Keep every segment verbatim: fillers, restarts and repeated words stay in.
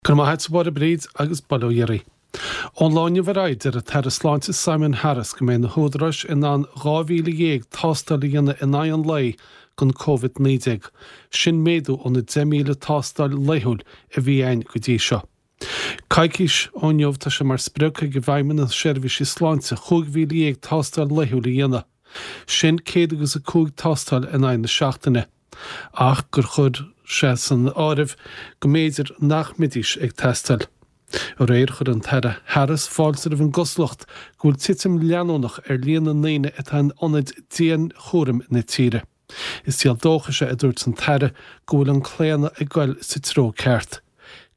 Go raibh maith agat, a Mháire Bríd, agus bail ó Dhia oraibh. Ón lá inniu ar aghaidh, deir an tAire Sláinte Simon Harris go mbeidh na húdaráis in ann dhá mhíle dhéag tástáil a dhéanamh in aghaidh an lae don Covid naoi déag. Sin méadú ó na deich míle tástáil laethúil a bhí ann go dtí seo. Coicís ó inniu tá sé mar sprioc ag Feidhmeannas na Seirbhíse Sláinte chúig mhíle dhéag tástáil laethúil a dhéanamh. Sin céad agus a cúig tástáil in aghaidh na seachtaine. Ach gur chuir sé san áireamh go mb'fhéidir nach mbeidís ag teastáil. Aréir chuir an tAire Harris fáilte roimh an gcosúlacht go bhfuil titim leanúnach ar líon na ndaoine atá in ionaid dianchúraim na tíre. Is díol dóchais é, a dúirt an tAire, go bhfuil an claonadh ag goil sa treo ceart.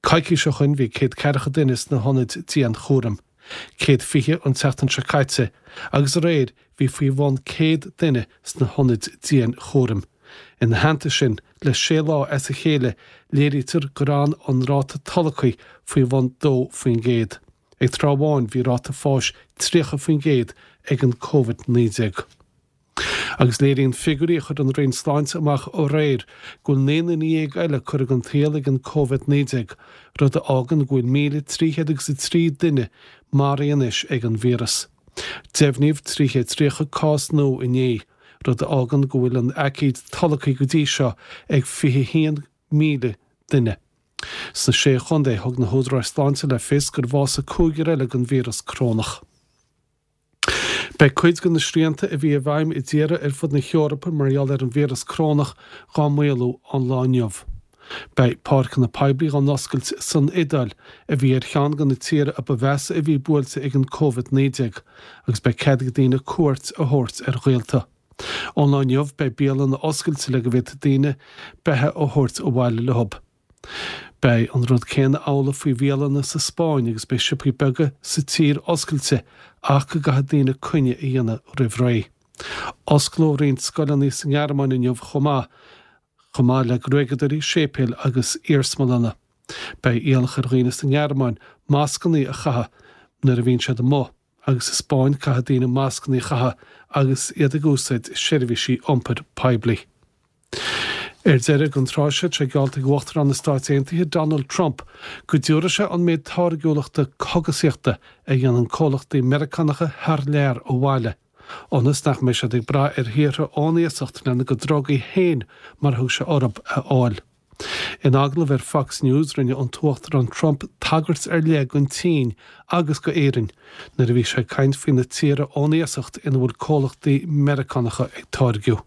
Coicís ó shoin bhí céad ceathracha duine sna hionaid dianchúraim, céad fiche an tseachtain seo caite, agus aréir bhí faoi bhun céad duine sna hionaid dianchúraim. Ina theannta sin, le sé lá as a chéile, léirítear gur fhan an ráta tolgtha faoi bhun dó faoin gcéad. Ag tráth amháin bhí ráta fáis tríocha faoin gcéad ag an Covid naoi déag. Agus léiríonn figiúirí a chuir an Roinn Sláinte amach aréir go bhfuil naoi nduine dhéag eile curtha den tsaol ag an Covid naoi déag, rud a fhágann go bhfuil míle trí chéad agus a trí duine maraithe anois ag an víreas. Deimhníodh trí chéad tríocha cás nua inné, rud a fhágann go bhfuil an aicíd tolgtha go dtí seo ag fiche haon míle duine. Sna Sé Chontae, thug na húdaráis sláinte le fios gur bhásaigh cúigear eile den víreas corónach. Beidh cuid de na srianta a bhí i bhfeidhm i dtíortha ar fud na hEorpa mar gheall ar an víreas corónach dhá maolú ón lá inniu. Beidh páirceanna poiblí dhá n-oscailt san Iodáil, a bhí ar cheann de na tíortha a ba mheasa a bhí buailte ag an Covid naoi déag, agus beidh cead ag daoine cuairt a thabhairt ar ghaolta. Ón lá inniu beidh bialanna oscailte le go bhféadfaidh daoine beatha a thabhairt abhaile leo. Beidh an rud céanna amhlaidh faoi bhialanna sa Spáinn agus beidh siopaí beaga sa tír oscailte ach go gcaithfidh daoine coinne a dhéanamh roimh ré. Osclóidh roinnt scoileanna sa nGearmáin inniu chomh maith, chomh maith le gruaigeadóirí, séipéil agus iarsmalanna. Beidh iallach ar dhaoine sa nGearmáin mascanna a chaitheamh nuair a bhíonn siad amuigh, agus sa Spáinn caithfidh daoine mascanna a chaitheamh agus iad ag úsáid seirbhísí iompair poiblí. Ar deireadh den tráth seo, tá sé geallta ag Uachtarán na Stáit Aontaithe Donald Trump go dtabharfaidh sé an méid táirgiúlachta cogasaíochta a dhéanann comhlachtaí Meiriceánacha thar lear abhaile, ionas nach mbeidh siad ag brath ar thíortha ón iasacht lena gcuid drugaí féin, mar a thug sé orthu, a fháil. In agallamh ar Fox News, rinne an tUachtarán Trump tagairt ar leith don tSín agus go Éirinn nuair a bhí sé ag caint faoi na tíortha ón iasacht ina bhfuil comhlachtaí Meiriceánacha ag táirgiú.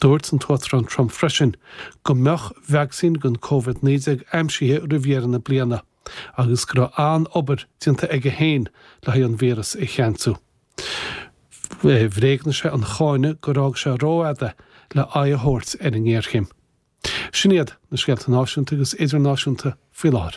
Dúirt an tUachtarán Trump freisin go mbeadh vacsaín don Covid naoi déag aimsithe roimh dheireadh na bliana agus go raibh an-obair déanta aige féin le haghaidh an víreas a cheansú. Bhréagnaigh sé an cáineadh gur fhág sé rófhada le aghaidh a thabhairt ar an ngéarchéim. Sin iad na scéalta náisiúnta agus idirnáisiúnta faoi láthair.